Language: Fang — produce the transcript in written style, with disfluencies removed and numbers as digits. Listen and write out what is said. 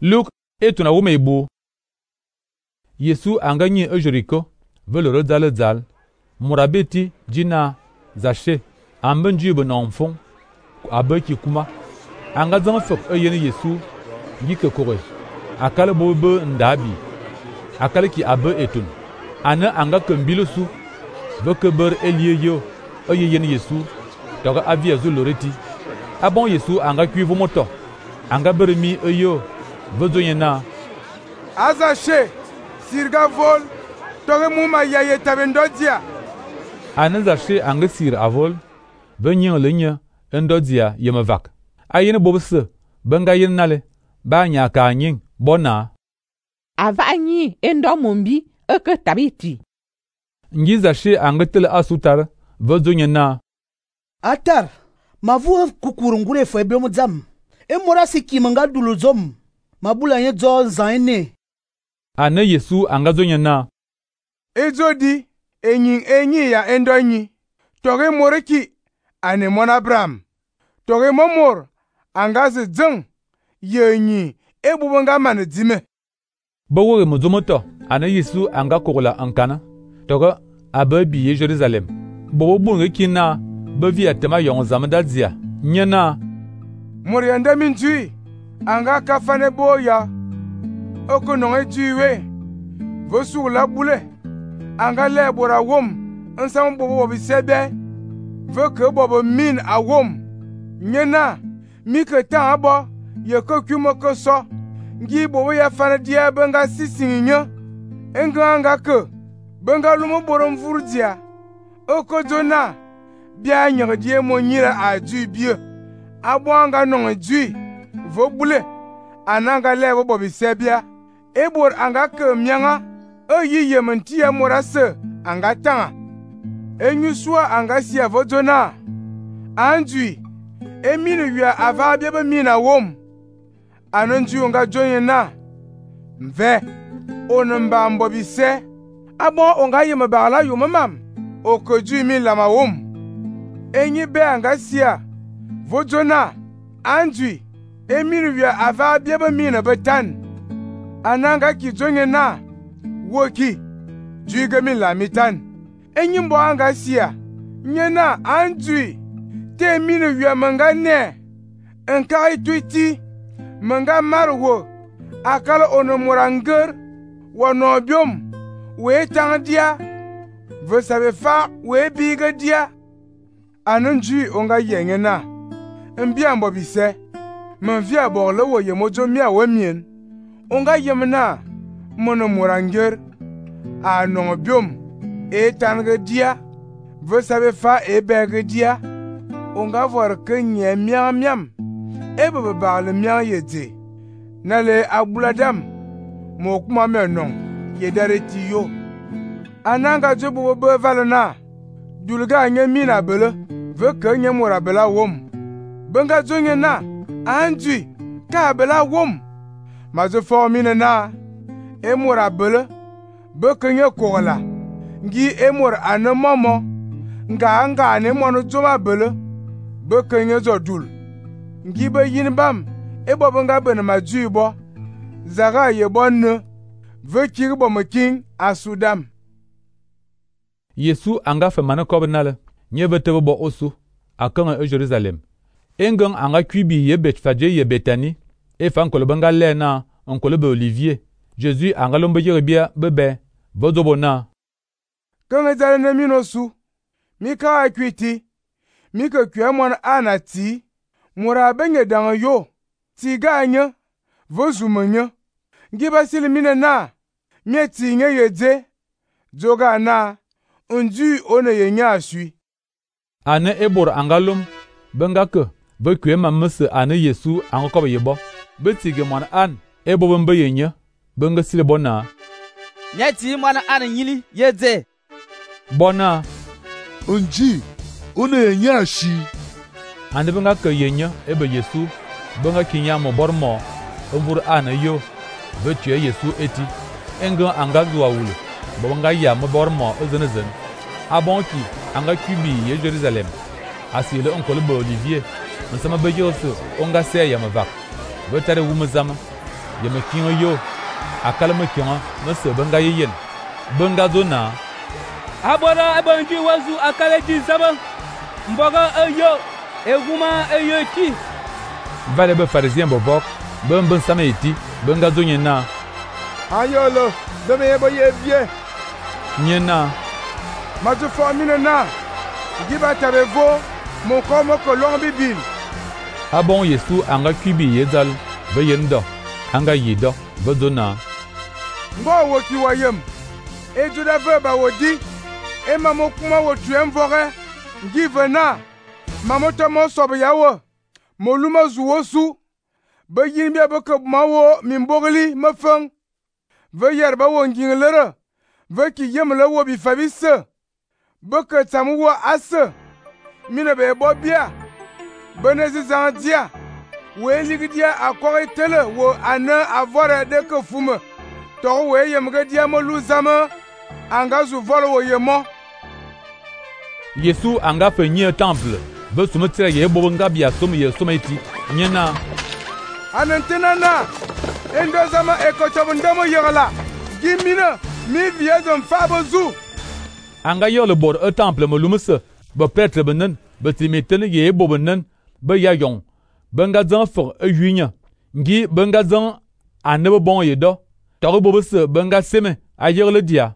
Luc et tuna wume ibu. Yesu anga nyi Jericho, veloro zal. Murabeti jina Zaché, amben jube na mfong, abeki kuma. Anga zang fek yen Yesu, ngike kore. Akale bobe ndabi. Akale ki abe etun. Ana anga kembilusu, veke ber elie yo, yen Yesu, toga avia zuloreti. Abon Yesu anga kuivu moto. Anga beremi yo, vezonyena. Azaché, sirga vol, toge muma yaye tabendodia. Ana Zaché anga sir avol, benyen lenya, endodia yemevak. Ayene bobse, benga yen nale, ba nya ka nying, bona. Ava nyi endo mombi, eke tabiti. Ngi Zaché anga tele asutar, vezonyena. Atar, mavu kukurungure fo ebe mudzam. E mora siki manga duluzom. Mabula nye zo zaine. Ana Yesu anga zonyena. Ezodi, enyi ya endonyi. Toge moreki, ane mon Abraham. Toge momor, anga ze zeng, yenyi, ebubanga mane dime. Bawoge muzomoto, ana Yesu anga kola ankana. Toge abe biye Jerusalem. Bobo bunge kina, bevi atema yon zamdadzia. Nyena. Morianda minjui, anga kafane boya. Oko nonge juiwe. Vosu la boule. Anga le bora wom. Nsam bobo bisebe. Veke bobo min a wom. Nyena. Mike tan abo. Yeko kumo koso. Ngi bobo ya fane dia benga sisinginya. Enga anga ke. Benga lumo borom vurdia. Oko jona. Bia nyere die mo nyira a jui bie. Abo anga nonge jui. Vo boule. Ananga le bobo bisebia. Ebor anga ke myanga. Yi yementia morase anga tanga. Enyusua anga sia vodona. Anjui. Emine wia ava biebe mina wom. Anonju nga jonyena. Mve. Onemba mbobise. Abo onga yemebala yumamam. Okoju mi lama wom. Enyi be anga sia. Vodona. Anjui. Emine wia ava biebe mina betan. Ananga ki jonyena. Woki, juige mi la mitan. Enyimbo anga sia. Nyena anjui. Te mine wia manga ne. Enka ituiti. Manga marwo. Akala onomoranger. Wanobium. We tandia. Ve sabe fa we biga dia. Anonjui onga yengena. Mbia mbobise. Menvia borle wo yemojo mia wemien. Onga yemena. Mono moranger a non biom e tanga dia ve sabe fa e bege dia onga vor ke nye miam e be ba le miam yede na le abuladam mo kuma me non ye dareti yo ananga jobo be valona dulga nye mina bele ve ke nye mora bela wom benga zonye na anji ka bela wom ma zo fo mina na emora bele bekenye kola ngi emor ane momo nga ane mono joma bele bekenye zodul ngi be yinbam ebo nga bene majuibo zaga yebonne vekir bomeking asudam. Yesu anga fe mane kobnale nye vetebe bo osu akanga Jerusalem engang anga kwibi ye Betfaje ye Betani e fan kolobenga lena on kolobe Olivier. Jésus anga lombe yerebia bebe vodobona. Kanga zale ne minosu. Mika akwiti. Mika kwemon anati. Mura benye danga yo. Tiga anya. Vozumanya. Ngiba sili mine na. Mieti nye yedze. Joga na. Unju one yenya asui. Ane ebor angalum. Benga ke. Be kwema mese ane Yesu anga kobe yebo. Betige mon an. Ebo bembe yenya. Benga sile bona. Nyati mwana ana nyili yedze. Bona. Unji. Une yenya shi. Ande benga ke yenya ebe Yesu. Benga kinya mo bormo. Ovur ana yo. Betue Yesu eti. Enga anga zuwa wule. Benga ya mo bormo ozenezen. Abonki anga kubi ye Jerusalem. Asile onkole be Olivier. Nsama beje oso onga se ya mavak. Betare wumezama. ye me kingo yo akala me kingo me se benga yen benga zona abora abanji wazu akala ji zaba mboga ayo eguma ayo ti vale be pharisien bo bok ben sama eti benga zo nyena ayolo de me bo ye vie nyena ma tu formine na giba tabevo mon comme kolon bibil abon Yesu anga kubi yezal be yendo anga yido be zona ngo wo ki wayem e juda ve ba wodi e mamo kuma wo tuem vore give na mamo to mo sob yawo mo luma zuwo su be yin be ko mawo min bogli ma fang ve yer ba wo nginglere ve ki yemle wo bi fabisse be ko tamu wo as mine be bo bia benezi zandia we ligdia akore tele wo ana avore de ko fume to we yemge dia mo luzama anga zu volo wo yemo Yesu anga fe nyi temple be sumu tire ye bo nga bia sum ye sumeti nyena anantena na endo zama ekochobo ndemo yegala gimina mi viezon fabo zu anga yo le bor temple mo lumse be prêtre benen be timeten ye bo benen be ya yong benga zan for yunya ngi benga zan anebe bon ye do to bo se benga seme a yer le dia